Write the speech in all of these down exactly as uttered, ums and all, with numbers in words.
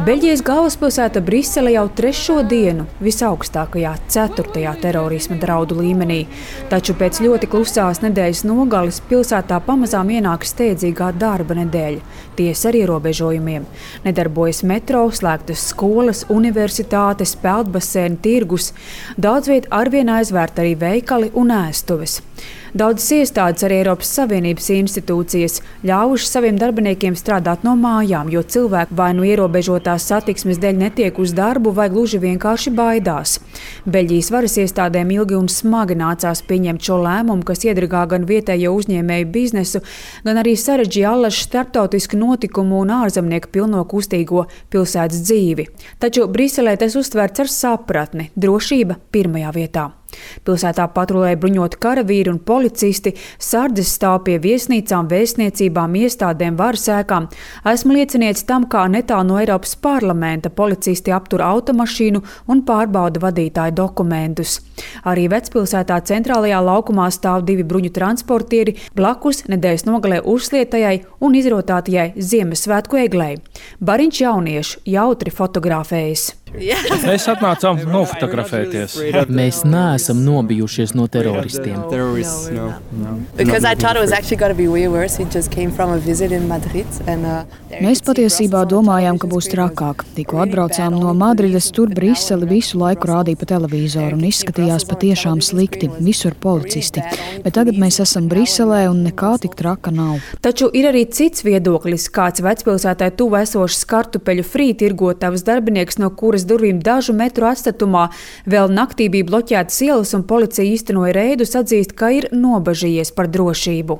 Beļģijas galvaspilsēta Brisele jau trešo dienu visaugstākajā ceturtajā terorisma draudu līmenī. Taču pēc ļoti klusās nedēļas nogales pilsētā pamazām ienāk steidzīgā darba nedēļa. Tiesa ar ierobežojumiem. Nedarbojas metro, slēgtas skolas, universitātes, peldbaseini, tirgus. Daudz viet arvien aizvērt arī veikali un ēstuves. Daudzas iestādes, arī Eiropas Savienības institūcijas, ļāvuši saviem darbiniekiem strādāt no mājām, jo cilvēki vai nu ierobežotās satiksmes dēļ netiek uz darbu, vai gluži vienkārši baidās. Beļģijas varas iestādēm ilgi un smagi nācās pieņemt šo lēmumu, kas iedragā gan vietējo uzņēmēju biznesu, gan arī sarežģīja allaž starptautisku notikumu un ārzemnieku pilno kustīgo pilsētas dzīvi. Taču Briselē tas uztverts ar sapratni, drošība pirmajā vietā. Pilsētā patrulēja bruņoti karavīri un policisti, sardzes stāv pie viesnīcām, vēstniecībām, iestādēm, varas ēkām. Esmu liecinieks tam, kā netālu no Eiropas parlamenta policisti aptur automašīnu un pārbauda vadītāju dokumentus. Arī vecpilsētā centrālajā laukumā stāv divi bruņu transportieri blakus nedēļas nogalē uzslietajai un izrotātajai Ziemassvētku eglei. Bariņš jauniešu jautri fotografējas. Mēs atnācām nofotografēties. Mēs neesam nobijušies no teroristiem. Mēs patiesībā domājām, ka būs trakāk. Tikko atbraucām no Madrides, tur Briseli visu laiku rādīja pa televizoru un izskatījās patiešām slikti, visur policisti. Bet tagad mēs esam Briselē un nekā tik traka nav. Taču ir arī cits viedoklis, kāds vecpilsētai tuvu esošs kartupeļu frī tirgotavas darbinieks, no kuras durvīm dažu metru atstatumā vēl naktī bija bloķētas ielas un policija īstenoja reidus, atzīst, ka ir nobažījies par drošību.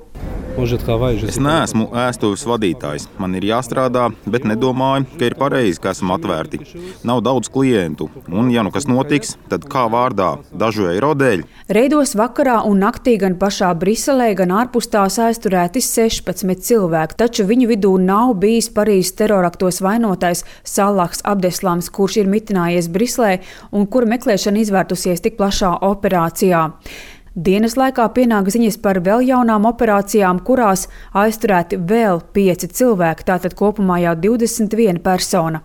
Es neesmu ēstuves vadītājs. Man ir jāstrādā, bet nedomāju, ka ir pareizi, ka esam atvērti. Nav daudz klientu, un ja nu kas notiks, tad kā vārdā dažu eiro dēļ? Reidos vakarā un naktī gan pašā Briselē, gan ārpus tās aizturēti sešpadsmit cilvēki, taču viņu vidū nav bijis Parīzes teroraktos vainotais Salahs Abdeslams, kurš ir mitinājies Briselē un kura meklēšana izvērtusies tik plašā operācijā. Dienas laikā pienāk ziņas par vēl jaunām operācijām, kurās aizturēti vēl pieci cilvēki, tātad kopumā jau divdesmit viena persona.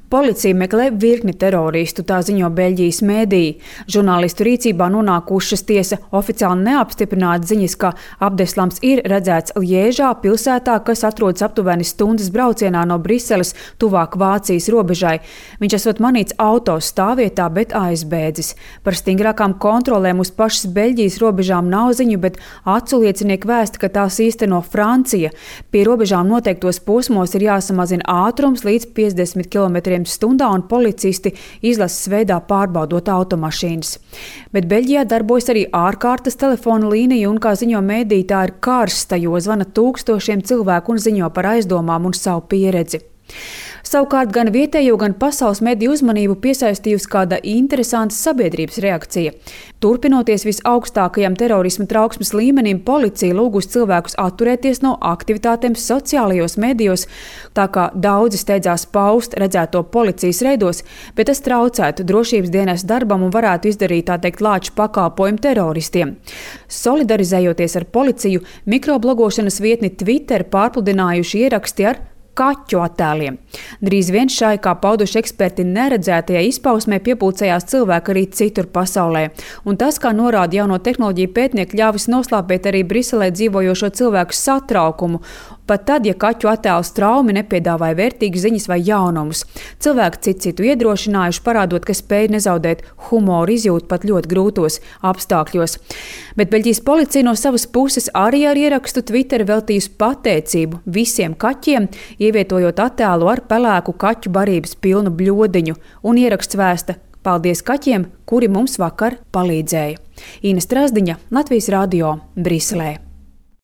Policija meklē virkni teroristu, tā ziņo Beļģijas mēdīji. Žurnālistu rīcībā nonākušas tiesa oficiāli neapstiprināta ziņas, ka Abdeslams ir redzēts Liežā, pilsētā, kas atrodas aptuveni stundas braucienā no Briseles, tuvāk Vācijas robežai. Viņš esot manīts auto stāvvietā, bet aizbēdzis. Par stingrākām kontrolēm uz pašas Beļģijas robežām nav ziņu, bet aculiecinieki vēsta, ka tās īsteno Francija. Pie robežām noteiktos posmos ir jāsamazina ātrums līdz piecdesmit kilometriem stundā un policisti izlases veidā pārbaudot automašīnas. Bet Beļģijā darbojas arī ārkārtas telefona līnija un, kā ziņo mēdīji, tā ir karsta, jo zvana tūkstošiem cilvēku un ziņo par aizdomām un savu pieredzi. Savukārt gan vietējo, gan pasaules mediju uzmanību piesaistījusi kāda interesanta sabiedrības reakcija. Turpinoties visaugstākajam terorisma trauksmes līmenim, policija lūgus cilvēkus atturēties no aktivitātēm sociālajos medijos, tā kā daudzi steidzās paust redzēto policijas reidos, bet tas traucētu drošības dienas darbam un varētu izdarīt, tā teikt, lāču pakalpojumu teroristiem. Solidarizējoties ar policiju, mikroblogošanas vietni Twitter pārpludinājuši ieraksti ar kaķu attēliem. Drīz vien šai, kā pauduši eksperti, neredzētajai izpausmē piepulcējās cilvēki arī citur pasaulē. Un tas, kā norāda jauno tehnoloģiju pētnieki, ļāvis noslāpēt arī Briselē dzīvojošo cilvēku satraukumu, pat tad, ja kaķu attēls traumi nepiedāvāja vērtīgas ziņas vai jaunumus. Cilvēki citu citu iedrošinājuši, parādot, ka spēj nezaudēt humoru izjūtu pat ļoti grūtos apstākļos. Bet Beļģijas policija no savas puses arī ar ierakstu Twitter veltījusi pateicību visiem kaķiem, ievietojot attēlu ar pelēku kaķu barības pilnu bļodiņu, un ieraksts vēsta: paldies kaķiem, kuri mums vakar palīdzēja. Ina Strazdiņa, Latvijas radio, Briselē.